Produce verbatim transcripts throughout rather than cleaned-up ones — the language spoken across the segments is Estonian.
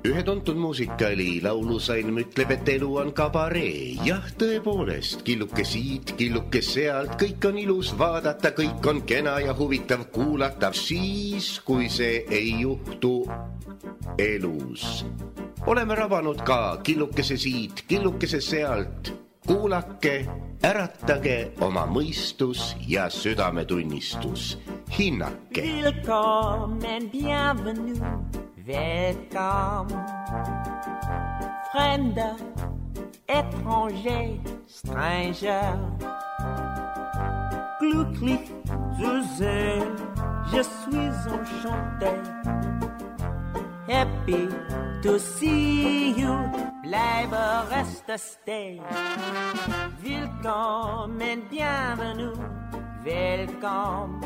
Ühe tuntud muusikaali laulusalm ütleb, et elu on kabaree. Jah, tõepoolest, killuke siit, killuke sealt, kõik on ilus vaadata, kõik on kena ja huvitav kuulata, siis, kui see ei juhtu elus. Oleme rabanud ka killukese siit, killukese sealt. Kuulake, äratage oma mõistus ja südametunnistus. Hinnake. Willkommen, bienvenue, welcome. Fremder, étranger, stranger. Glücklich zu sehen, je suis enchanté. Happy to see you, bleibe reste stay. Willkommen, bienvenue, welcome.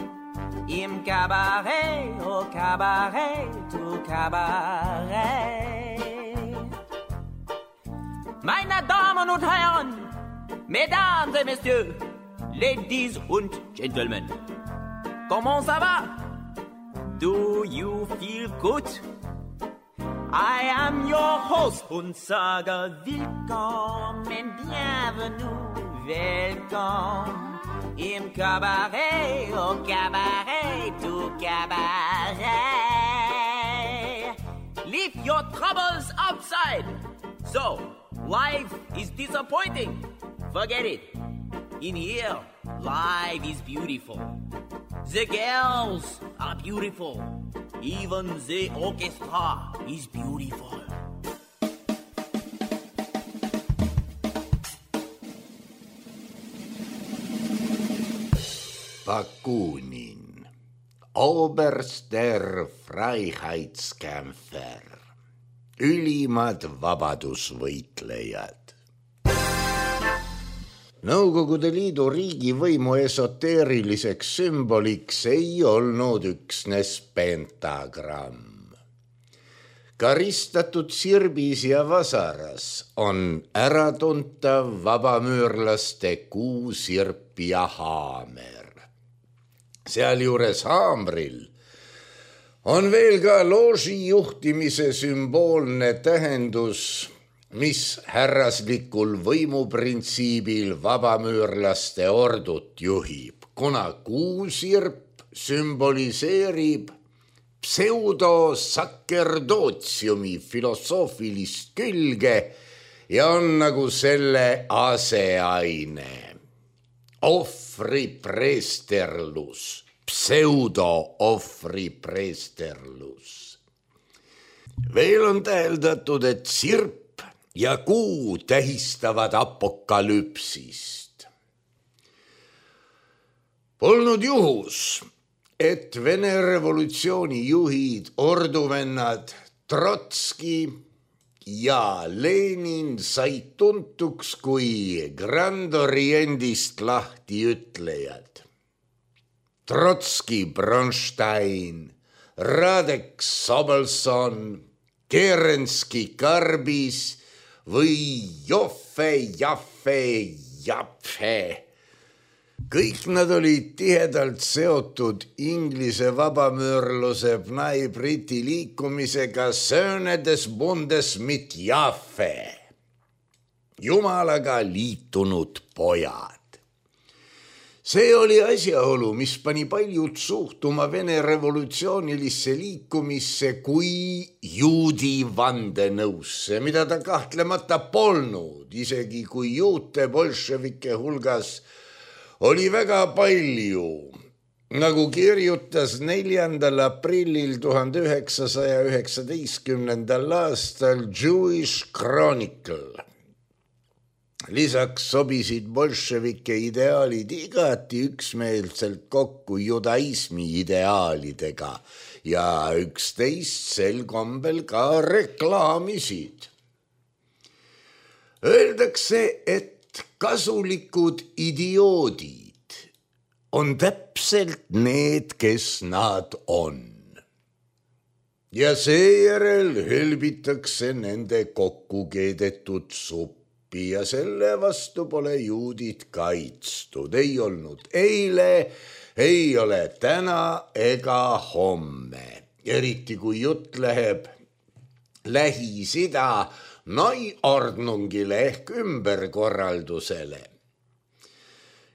Im Cabaret, au Cabaret, au Cabaret. Meine Damen und Herren, Mesdames et Messieurs, Ladies und Gentlemen, comment ça va? Do you feel good? I am your host und sage willkommen, bienvenue, welcome. Im Cabaret, au Cabaret, au Cabaret. Leave your troubles outside. So, life is disappointing. Forget it. In here, life is beautiful. The girls are beautiful. Even the orchestra is beautiful. Bakunin, Oberster Freiheitskämpfer, ülimad vabadusvõitlejad. Nõukogude Liidu riigivõimu esoteeriliseks sümboliks ei olnud üksnes pentagramm. Karistatud sirbis ja vasaras on äratuntav vabamüürlaste kuusirp ja haamer. Sealjuures haamril on veel ka looži juhtimise sümboolne tähendus, mis härraslikul võimuprintsiibil vabamüürlaste ordut juhib, kuna kuusirp sümboliseerib pseudosakerdootsiumi filosoofilist külge ja on nagu selle aseaine. Ohvripreesterlus, pseudo-ohvripreesterlus. Veel on täheldatud, et sirp ja kuu tähistavad apokalüpsist. Polnud juhus, et Vene revolutsiooni juhid, orduvennad Trotski ja Lenin said tuntuks kui Grand Orientist lahti ütlejad. Trotski, Bronstein, Radek Sobelson, Kerenski, Karbis või Joffe, Jaffe, Japfe. Kõik nad olid tihedalt seotud Inglise vabamüürluse Bnai Briti liikumisega Söönedes Bundes mit Jaffe, Jumalaga liitunud pojad. See oli asjaolu, mis pani paljud suhtuma Vene revolutsioonilisse liikumisse kui juudi vandenõusse, mida ta kahtlemata polnud, isegi kui juute bolševike hulgas oli väga palju, nagu kirjutas neljandal aprillil tuhande üheksasaja üheksateistkümnendal aastal Jewish Chronicle. Lisaks sobisid bolševike ideaalid igati üksmeelselt kokku judaismi ideaalidega ja üksteist sel kombel ka reklaamisid. Öeldakse, et kasulikud idioodid on täpselt need, kes nad on. Ja seejärel hõlbitakse nende kokku keedetud suppi ja selle vastu pole juudid kaitstud. Ei olnud eile, ei ole täna ega homme. eriti kui jutt läheb Lähis-Ida Neuordnungile ehk ümberkorraldusele.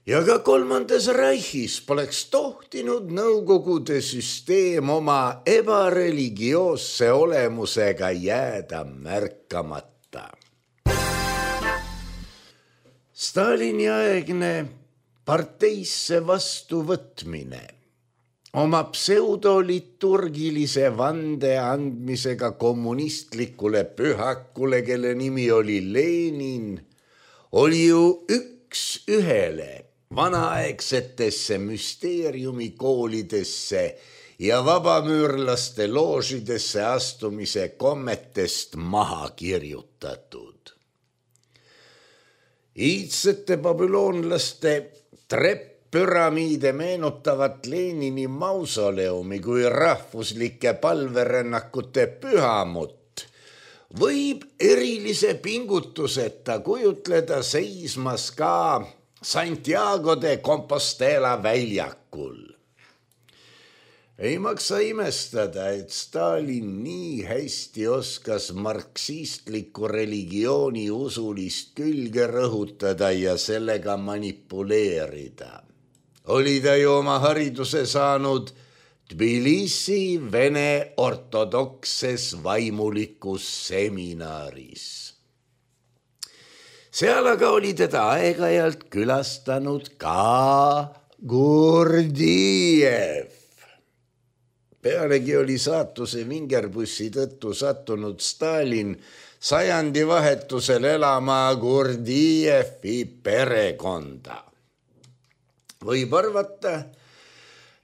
Ja ka kolmandas Reichis poleks tohtinud Nõukogude süsteem oma ebareligioosse olemusega jääda märkamata. Stalini aegne parteisse vastuvõtmine oma pseudoliturgilise vande andmisega kommunistlikule pühakule, kelle nimi oli Lenin, oli ju üks ühele vanaaegsetesse müsteeriumikoolidesse ja vabamüürlaste loožidesse astumise kommetest maha kirjutatud. Iidsete babüloonlaste trepp-püramiide meenutavat Lenini mausoleumi kui rahvuslike palverännakute pühamut võib erilise pingutuseta kujutleda seismas ka Santiago de Compostela väljakul. Ei maksa imestada, et Stalin nii hästi oskas marksistliku religiooni usulist külge rõhutada ja sellega manipuleerida. Oli ta ju oma hariduse saanud Tbilisi vene ortodokses vaimulikus seminaris. Seal aga oli teda aeg-ajalt külastanud ka Gurdjiev. Pealegi oli saatuse vingerbussi tõttu sattunud Stalin sajandi vahetusel elama Gurdjijevi perekonda. Võib arvata,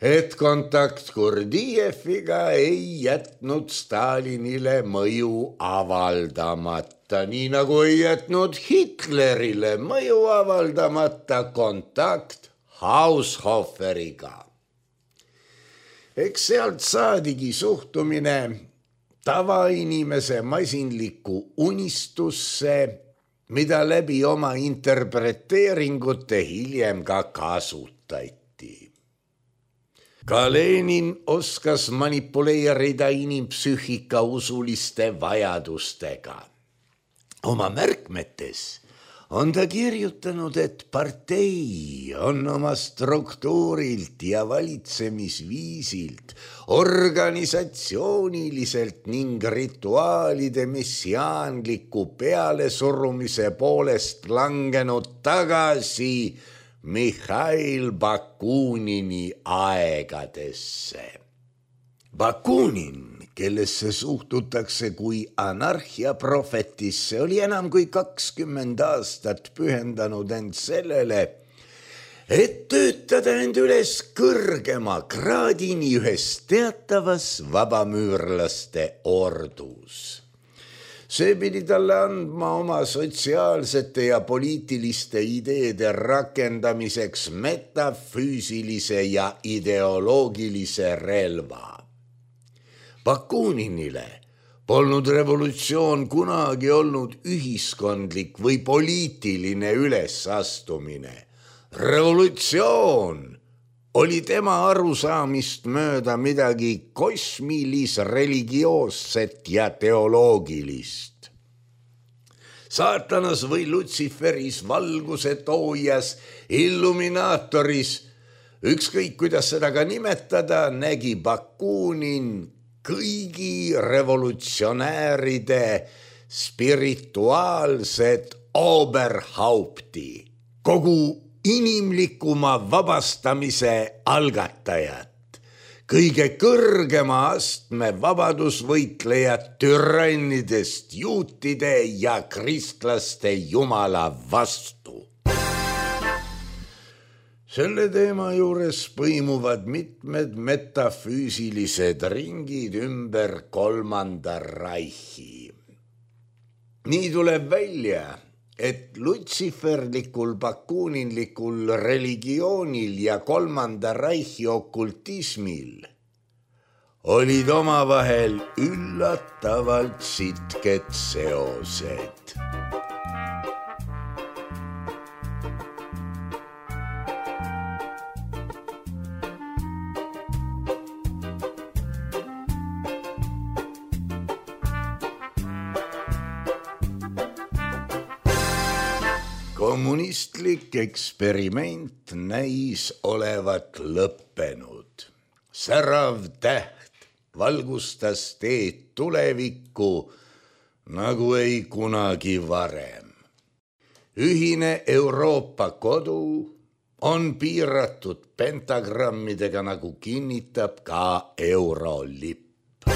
et kontakt Gurdjijeviga ei jätnud Stalinile mõju avaldamata, nii nagu ei jätnud Hitlerile mõju avaldamata kontakt Haushoferiga. Eks sealt saadigi suhtumine tavainimese masinlikku unistusse, mida läbi oma interpreteeringute hiljem ka kasutati. Ka Lenin oskas manipuleerida inimpsüühika usuliste vajadustega. Oma märkmetes on ta kirjutanud, et partei on oma struktuurilt ja valitsemisviisilt, organisatsiooniliselt ning rituaalide messiaanliku pealesurumise poolest langenud tagasi Mihhail Bakunini aegadesse. Bakunin, kellesse suhtutakse kui anarhiaprofetisse, oli enam kui kakskümmend aastat pühendanud end sellele, et töötada end üles kõrgema kraadini ühes teatavas vabamüürlaste ordus. See pidi talle andma oma sotsiaalsete ja poliitiliste ideede rakendamiseks metafüüsilise ja ideoloogilise relva. Bakuninile polnud revolutsioon kunagi olnud ühiskondlik või poliitiline ülesastumine. Revolutsioon oli tema arusaamist mööda midagi kosmilis, religioosset ja teoloogilist. Saatanas või Lutsiferis, valguse toojas, illuminaatoris, ükskõik kuidas seda ka nimetada, nägi Bakunin kõigi revolutsionääride spirituaalset Oberhaupti, kogu inimlikuma vabastamise algatajat, kõige kõrgema astme vabadusvõitlejat türannidest juutide ja kristlaste jumala vastu. Selle teema juures põimuvad mitmed metafüüsilised ringid ümber kolmanda Reichi. Nii tuleb välja, et lutsiferlikul bakuninlikul religioonil ja kolmanda Reichi okultismil olid omavahel üllatavalt sitked seosed. kommunistlik eksperiment näis olevat lõppenud. Särav täht valgustas teed tulevikku nagu ei kunagi varem. Ühine Euroopa kodu on piiratud pentagrammidega, nagu kinnitab ka eurolipp.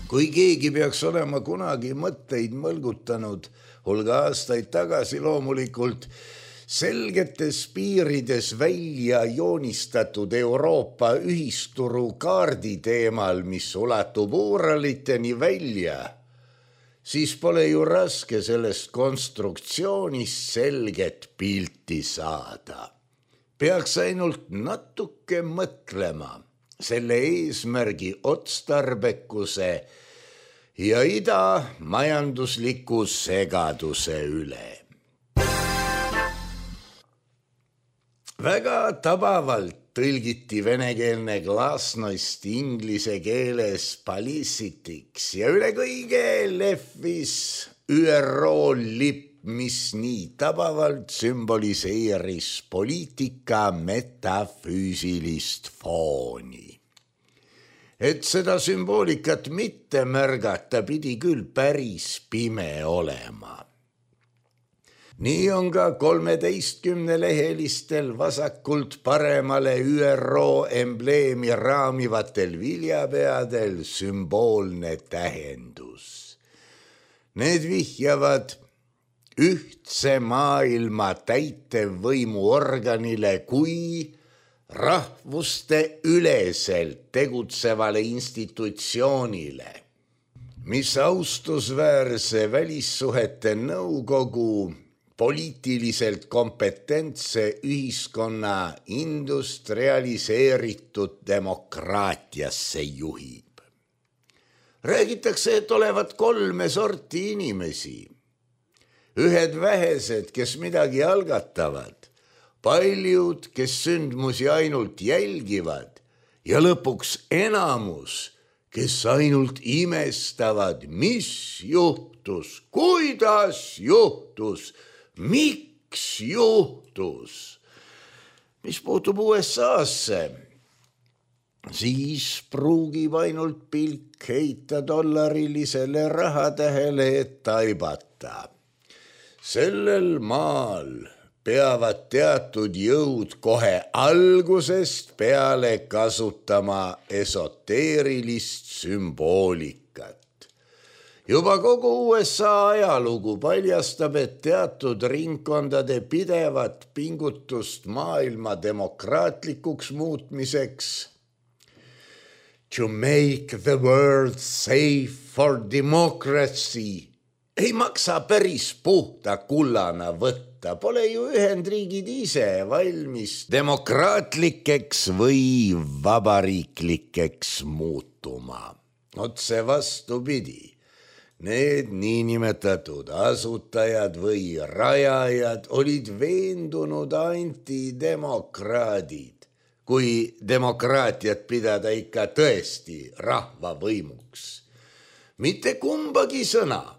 Kui keegi peaks olema kunagi mõtteid mõlgutanud, hulga aastaid tagasi loomulikult, selgetes piirides välja joonistatud Euroopa ühisturu kaardi teemal, mis ulatub Uuraliteni välja, siis pole ju raske sellest konstruktsioonist selget pilti saada. Peaks ainult natuke mõtlema selle eesmärgi otstarbekuse ja ida majandusliku segaduse üle. Väga tabavalt tõlgiti venekeelne glasnost inglise keeles palisitiks ja üle kõige lehvis Ü R O lipp, mis nii tabavalt sümboliseeris poliitika metafüüsilist fooni. Et seda sümboolikat mitte märgata, pidi küll päris pime olema. Nii on ka kolmeteistkümnelehelistel vasakult paremale Ü R O embleemi raamivatel viljapeadel sümboolne tähendus. Need vihjavad ühtse maailma täitevvõimuorganile kui rahvuste üleselt tegutsevale institutsioonile, mis austusväärse välissuhete nõukogu poliitiliselt kompetentse ühiskonna industrialiseeritud demokraatiasse juhib. Räägitakse, et olevat kolme sorti inimesi. Ühed vähesed, kes midagi algatavad, paljud, kes sündmusi ainult jälgivad ja lõpuks enamus, kes ainult imestavad, mis juhtus, kuidas juhtus, miks juhtus. Mis puutub U S A-sse, siis pruugib ainult pilk heita dollarilisele rahatähele, et taibata. Sellel maal peavad teatud jõud kohe algusest peale kasutama esoteerilist sümboolikat. Juba kogu U S A ajalugu paljastab, et teatud ringkondade pidevat pingutust maailma demokraatlikuks muutmiseks, to make the world safe for democracy, ei maksa päris puhta kullana võtta, pole ju Ühendriigid ise valmis demokraatlikeks või vabariiklikeks muutuma. Otse vastupidi, need niinimetatud asutajad või rajajad olid veendunud antidemokraadid, kui demokraatiat pidada ikka tõesti rahvavõimuks. Mitte kumbagi sõna,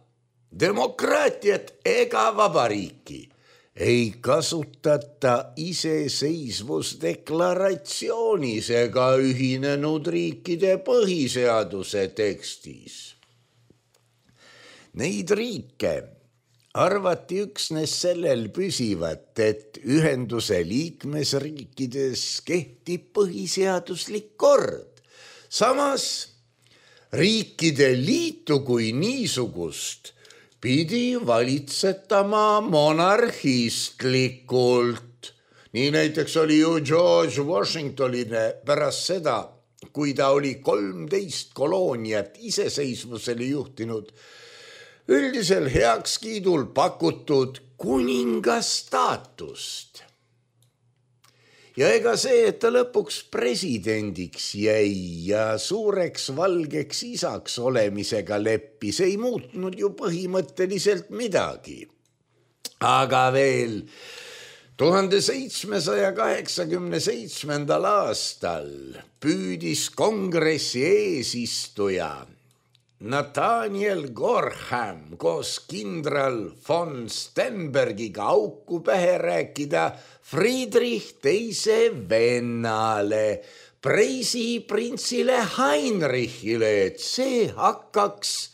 demokraatiat ega vabariiki ei kasutata iseseisvusdeklaratsioonis ega ühinenud riikide põhiseaduse tekstis. Neid riike arvati üksnes sellel püsivat, et ühenduse liikmesriikides kehtib põhiseaduslik kord. Samas riikide liitu kui niisugust pidi valitsetama monarhistlikult. Nii näiteks oli ju George Washingtonile pärast seda, kui ta oli kolmteist kolooniat iseseisvusele juhtinud, üldisel heakskiidul pakutud kuninga staatust. Ja ega see, et ta lõpuks presidendiks jäi ja suureks valgeks isaks olemisega leppis, ei muutnud ju põhimõtteliselt midagi. Aga veel tuhande seitsmesaja kaheksakümne seitsmendal aastal püüdis kongressi eesistuja Nathaniel Gorham koos kindral von Stenbergiga auku pähe rääkida Friedrich teise vennale, Preisi printsile Heinrichile, et see hakkaks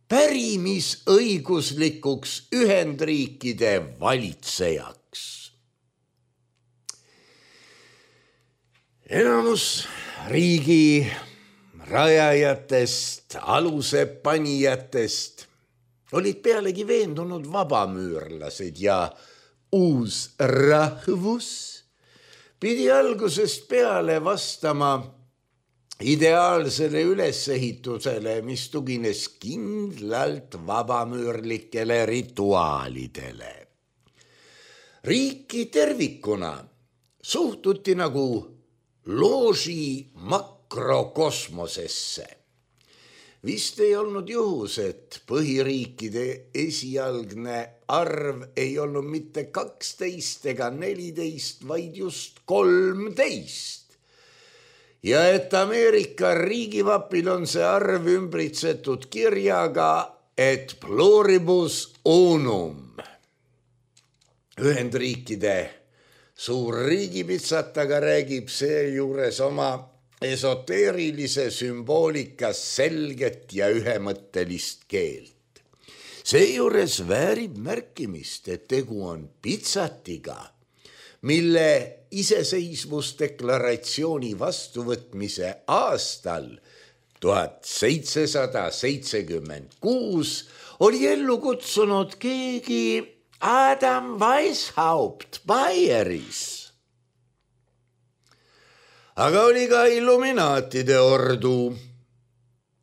pärimisõiguslikuks Ühendriikide valitsejaks. Enamus riigi rajajatest, aluse panijatest olid pealegi veendunud vabamüürlased ja uus rahvus pidi algusest peale vastama ideaalsele ülesehitusele, mis tugines kindlalt vabamüürlikele rituaalidele. Riiki tervikuna suhtuti nagu looži makrokosmosesse. Vist ei olnud juhus, et põhiriikide esialgne arv ei olnud mitte kaksteist ega neliteist, vaid just kolmteist. Ja et Ameerika riigivapil on see arv ümbritsetud kirjaga, et pluribus unum. Ühendriikide suur riigipitsataga räägib seejuures oma esoteerilise sümboolika selget ja ühemõttelist keelt. Seejuures väärib märkimist, et tegu on pitsatiga, mille iseseisvusdeklaratsiooni vastuvõtmise aastal tuhat seitsesada seitsekümmend kuus oli ellu kutsunud keegi Adam Weishaupt Baieris. Aga oli ka illuminaatide ordu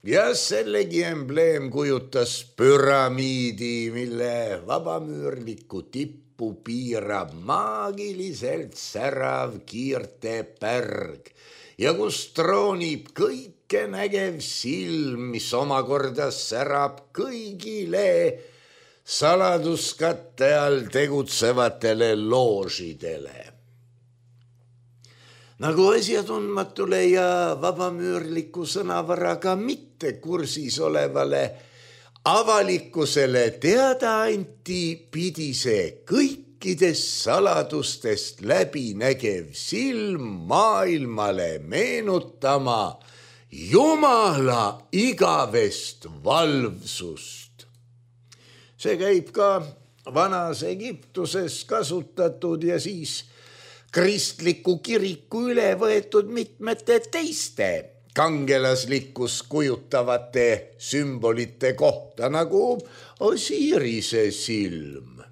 ja sellegi embleem kujutas püramiidi, mille vabamüürlikku tippu piirab maagiliselt särav kiirtepärg ja kus troonib kõike nägev silm, mis omakorda särab kõigile saladuskatte all tegutsevatele loožidele. Nagu asjatundmatule ja vabamüürliku sõnavaraga mitte kursis olevale avalikkusele teada anti, pidi see kõikidest saladustest läbinägev silm maailmale meenutama Jumala igavest valvsust. See käib ka vanas Egiptuses kasutatud ja siis kristliku kiriku üle võetud mitmete teiste kangelaslikkust kujutavate sümbolite kohta, nagu Osirise silm.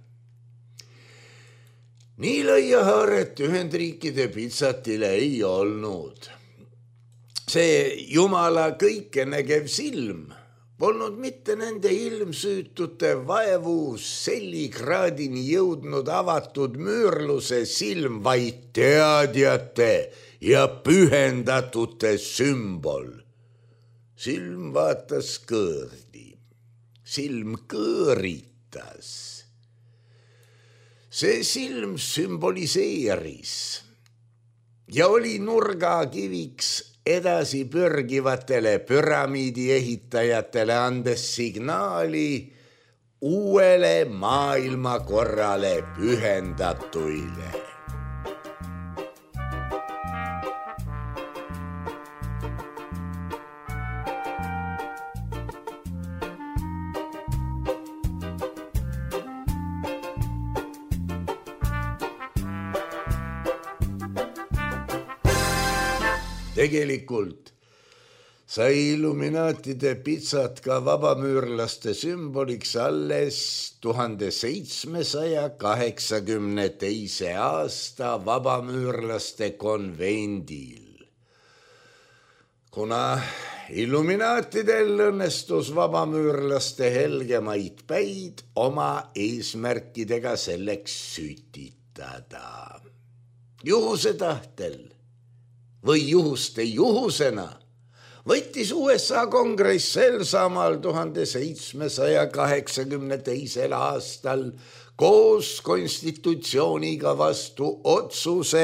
Nii lõiahaaret Ühendriikide pitsatile ei olnud. See Jumala kõikenägev silm polnud mitte nende ilmsüütute vaevu sellikraadini jõudnud avatud müürluse silm, vaid teadjate ja pühendatute sümbol. Silm vaatas kõõrdi, silm kõõritas. See silm sümboliseeris ja oli nurgakiviks edasi pürgivatele püramiidi ehitajatele, andes signaali uuele maailmakorrale pühendatuile. Tegelikult sai illuminaatide pitsat ka vabamüürlaste sümboliks alles tuhande seitsmesaja kaheksakümne teise aasta vabamüürlaste konvendil. Kuna illuminaatidel õnnestus vabamüürlaste helgemaid päid oma eesmärkidega selleks sütitada. Juhuse tahtel või juhuste juhusena võttis U S A kongress sel samal tuhande seitsmesaja kaheksakümne teisel aastal koos konstitutsiooniga vastu otsuse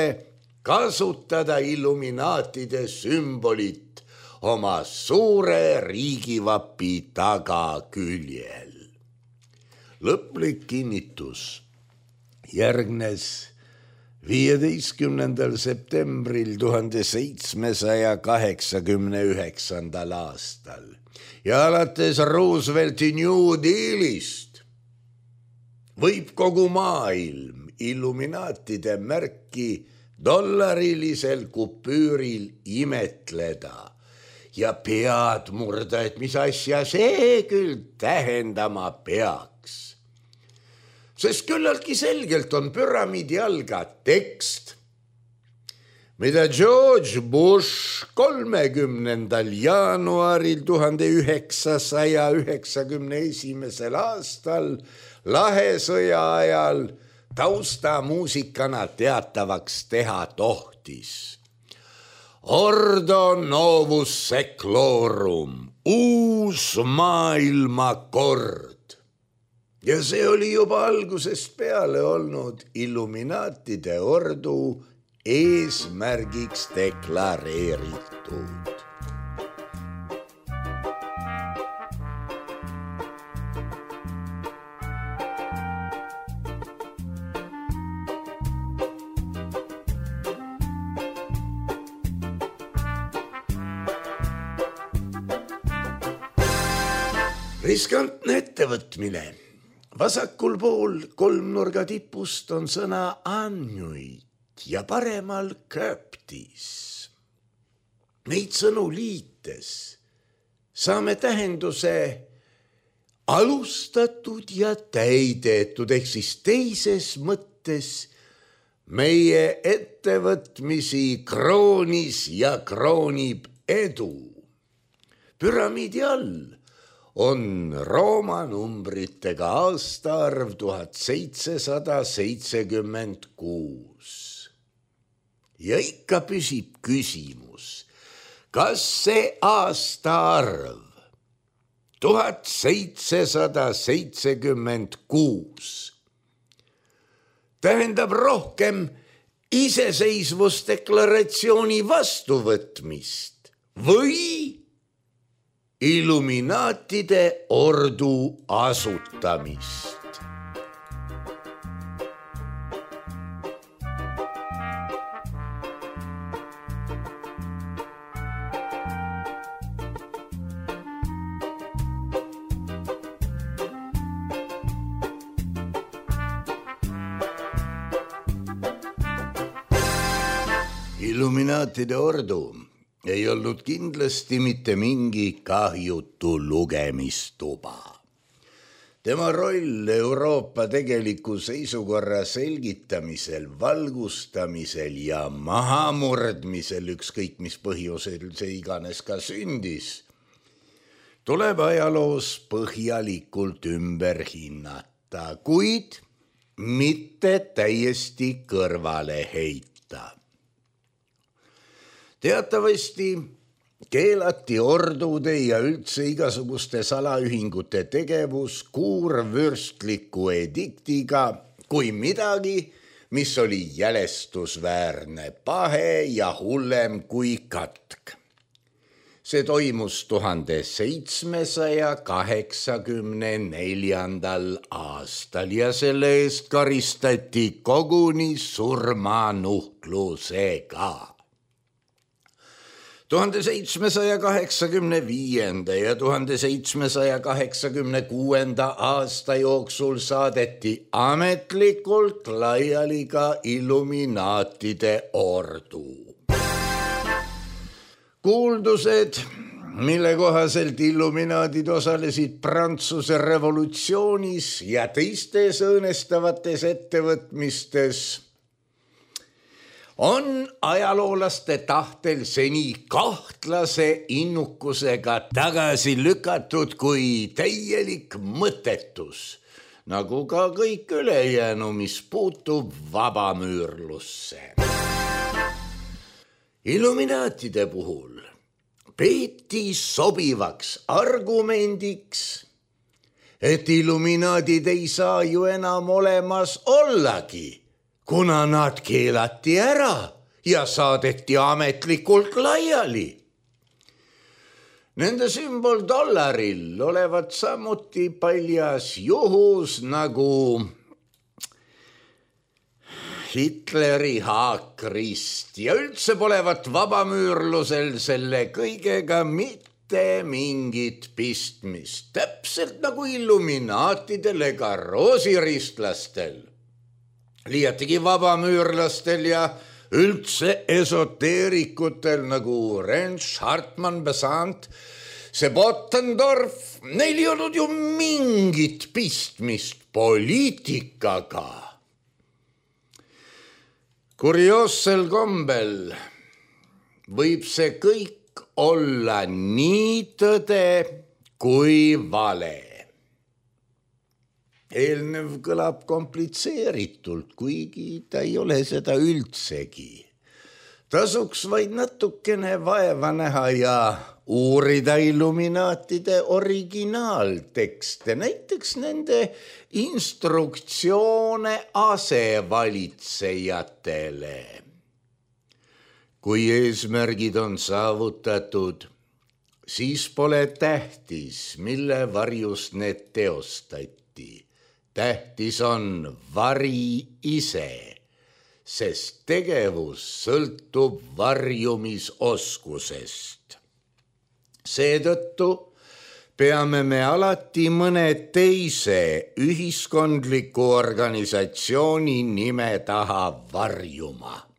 kasutada illuminaatide sümbolit oma suure riigivapi tagaküljel. Lõplik kinnitus järgnes viieteistkümnendal septembril tuhande seitsmesaja kaheksakümne üheksandal aastal ja alates Roosevelti New Dealist võib kogu maailm illuminaatide märki dollarilisel kupüüril imetleda ja pead murda, et mis asja see küll tähendama peaks. Sest küllaltki selgelt on püramiidi all ka tekst, mida George Bush kolmekümnendal jaanuaril tuhande üheksasaja üheksakümne esimesel aastal lahesõja ajal taustamuusikana teatavaks teha tohtis. Ordo novus seclorum, uus maailmakord. Ja see oli juba algusest peale olnud illuminaatide ordu eesmärgiks deklareeritud. Riskantne ettevõtmine. Vasakul pool kolmnurga tipust on sõna annuit ja paremal köptis. Neid sõnu liites saame tähenduse alustatud ja täidetud, ehk siis teises mõttes meie ettevõtmisi kroonis ja kroonib edu. Püramiidi all on Rooma numbritega aastaarv tuhat seitsesada seitsekümmend kuus. Ja ikka püsib küsimus, kas see aastaarv tuhat seitsesada seitsekümmend kuus tähendab rohkem iseseisvusdeklaratsiooni vastuvõtmist või illuminaatide ordu asutamist. Illuminaatide ordu ei olnud kindlasti mitte mingi kahjutu lugemistuba. Tema roll Euroopa tegeliku seisukorra selgitamisel, valgustamisel ja mahamurdmisel, ükskõik mis põhjusel see iganes ka sündis, tuleb ajaloos põhjalikult ümber hinnata, kuid mitte täiesti kõrvale heita. Teatavasti keelati ordude ja üldse igasuguste salaühingute tegevus kuurvürstliku ediktiga kui midagi, mis oli jälestusväärne pahe ja hullem kui katk. See toimus tuhande seitsmesaja kaheksakümne neljandal aastal ja selle eest karistati koguni surmanuhtlusega. tuhande seitsmesaja kaheksakümne viienda ja tuhande seitsmesaja kaheksakümne kuuenda aasta jooksul saadeti ametlikult laiali ka illuminaatide ordu. Kuuldused, mille kohaselt illuminaadid osalesid Prantsuse revolutsioonis ja teistes õõnestavates ettevõtmistes, on ajaloolaste tahtel seni kahtlase innukusega tagasi lükatud kui täielik mõttetus, nagu ka kõik ülejäänu, mis puutub vabamüürlusse. Illuminaatide puhul peeti sobivaks argumendiks, et illuminaadid ei saa ju enam olemas ollagi, kuna nad keelati ära ja saadeti ametlikult laiali. Nende sümbol dollaril olevat samuti paljas juhus nagu Hitleri haakrist ja üldse polevat vabamüürlusel selle kõigega mitte mingit pistmist, täpselt nagu illuminaatidel ega roosiristlastel. Liiatigi vabamüürlastel ja üldse esoteerikutel nagu Rensch, Hartmann, Besant, Sebotendorf, neil ei olnud ju mingit pistmist poliitikaga. Kurioossel kombel võib see kõik olla nii tõde kui vale. Eelnev kõlab komplitseeritult, kuigi ta ei ole seda üldsegi. Tasuks vaid natukene vaeva näha ja uurida illuminaatide originaaltekste, näiteks nende instruktsioone asevalitsejatele. Kui eesmärgid on saavutatud, siis pole tähtis, mille varjus need teostati. Tähtis on vari ise, sest tegevus sõltub varjumisoskusest. Seetõttu peame me alati mõne teise ühiskondliku organisatsiooni nime taha varjuma.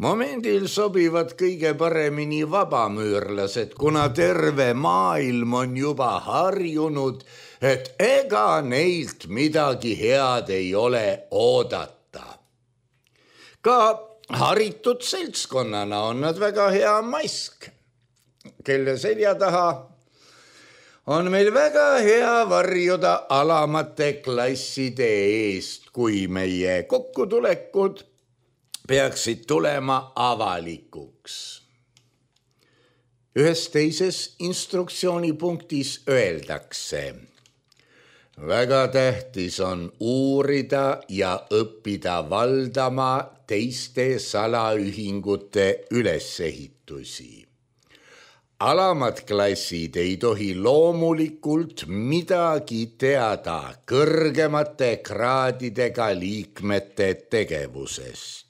Momendil sobivad kõige paremini vabamüürlased, kuna terve maailm on juba harjunud, et ega neilt midagi head ei ole oodata. Ka haritud seltskonnana on nad väga hea mask, kelle selja taha on meil väga hea varjuda alamate klasside eest, kui meie kokkutulekud peaksid tulema avalikuks. Ühes teises instruktsioonipunktis öeldakse: väga tähtis on uurida ja õppida valdama teiste salaühingute ülesehitusi. Alamad klassid ei tohi loomulikult midagi teada kõrgemate kraadidega liikmete tegevusest.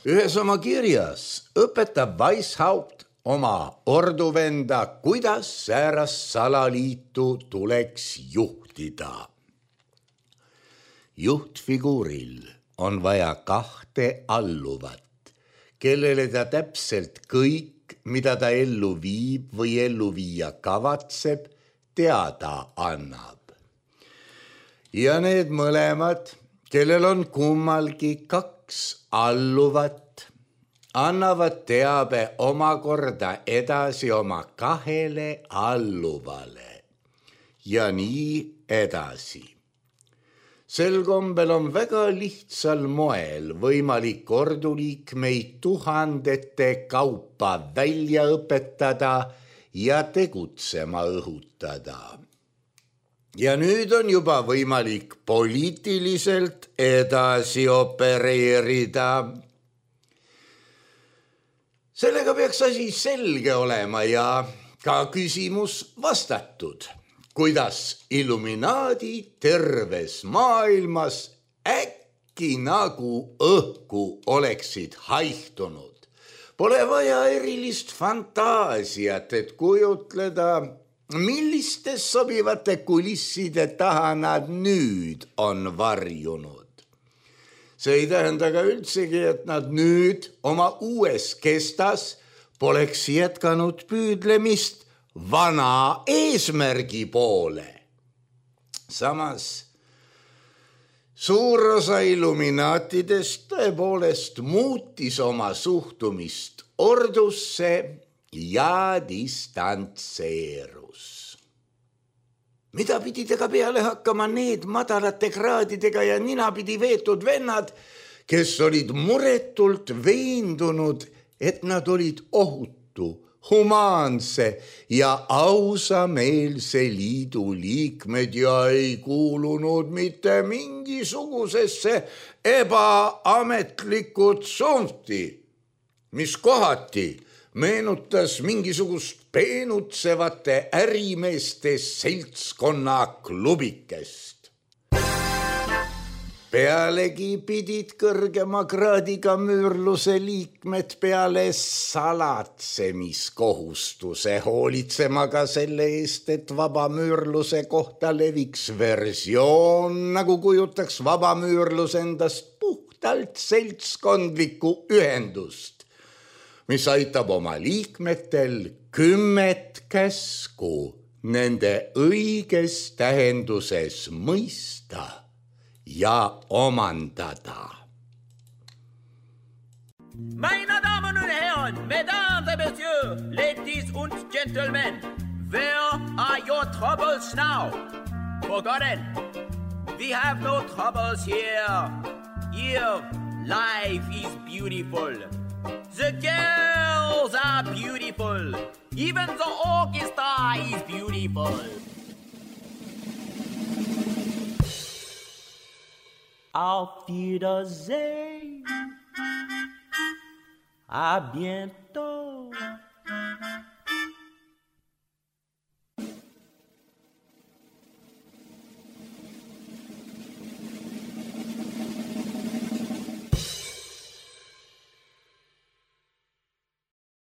Ühes oma kirjas õpetab Weishaupt oma orduvenda, kuidas säärast salaliitu tuleks juhtida. Juhtfiguuril on vaja kahte alluvat, kellele ta täpselt kõik, mida ta ellu viib või ellu viia kavatseb, teada annab. Ja need mõlemad, kellel on kummalgi kaks alluvat, annavad teabe omakorda edasi oma kahele alluvale ja nii edasi. Sel kombel on väga lihtsal moel võimalik orduliikmeid tuhandete kaupa välja õpetada ja tegutsema õhutada. Ja nüüd on juba võimalik poliitiliselt edasi opereerida. Sellega peaks asi selge olema ja ka küsimus vastatud, kuidas illuminaadi terves maailmas äkki nagu õhku oleksid haihtunud. Pole vaja erilist fantaasiat, et kujutleda, millistes sobivate kulisside taha nad nüüd on varjunud. See ei tähenda ka üldsegi, et nad nüüd oma uues kestas poleks jätkanud püüdlemist vana eesmärgi poole. Samas suur osa illuminaatidest tõepoolest muutis oma suhtumist ordusse ja distantseerus. Mida pidi tega peale hakkama need madalate kraadidega ja ninapidi veetud vennad, kes olid muretult veendunud, et nad olid ohutu, humaanse ja ausameelse liidu liikmed ja ei kuulunud mitte mingisugusesse ebaametlikku tsunfti, mis kohati meenutas mingisugust peenutsevate ärimeeste seltskonna klubikest. Pealegi pidid kõrgema kraadiga müürluse liikmed peale salatsemiskohustuse hoolitsema ka selle eest, et vabamüürluse kohta leviks versioon, nagu kujutaks vabamüürlus endast puhtalt seltskondlikku ühendust, mis aitab oma liikmetel kümmet käsku nende õiges tähenduses mõista ja omandada. Meine Damen und Herren, Mesdames et Messieurs, Ladies und Gentlemen, where are your troubles now? Forgotten. We have no troubles here. Here, life is beautiful. The girls are beautiful. Even the orchestra is beautiful. Auf Wiedersehen. À bientôt.